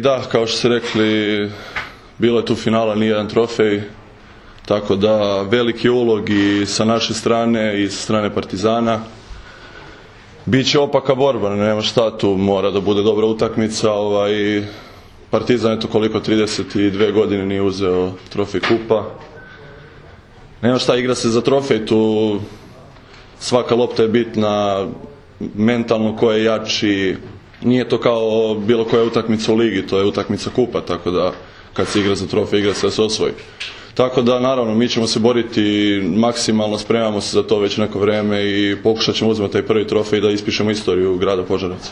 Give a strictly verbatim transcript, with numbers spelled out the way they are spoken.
Da, kao što ste rekli, bilo je tu finala, nije jedan trofej, tako da veliki ulog i sa naše strane i sa strane Partizana. Biće opaka borba, nema šta, tu mora da bude dobra utakmica. Ovaj, Partizan, eto koliko, trideset dve godine nije uzeo trofej kupa. Nema šta, igra se za trofej, tu svaka lopta je bitna, mentalno ko je jači. Nije to kao bilo koja utakmica u ligi, to je utakmica kupa, tako da kad se igra za trofej, igra se da se osvoji. Tako da, naravno, mi ćemo se boriti maksimalno, spremamo se za to već neko vreme i pokušat ćemo uzeti taj prvi trofej da ispišemo istoriju grada Požarevaca.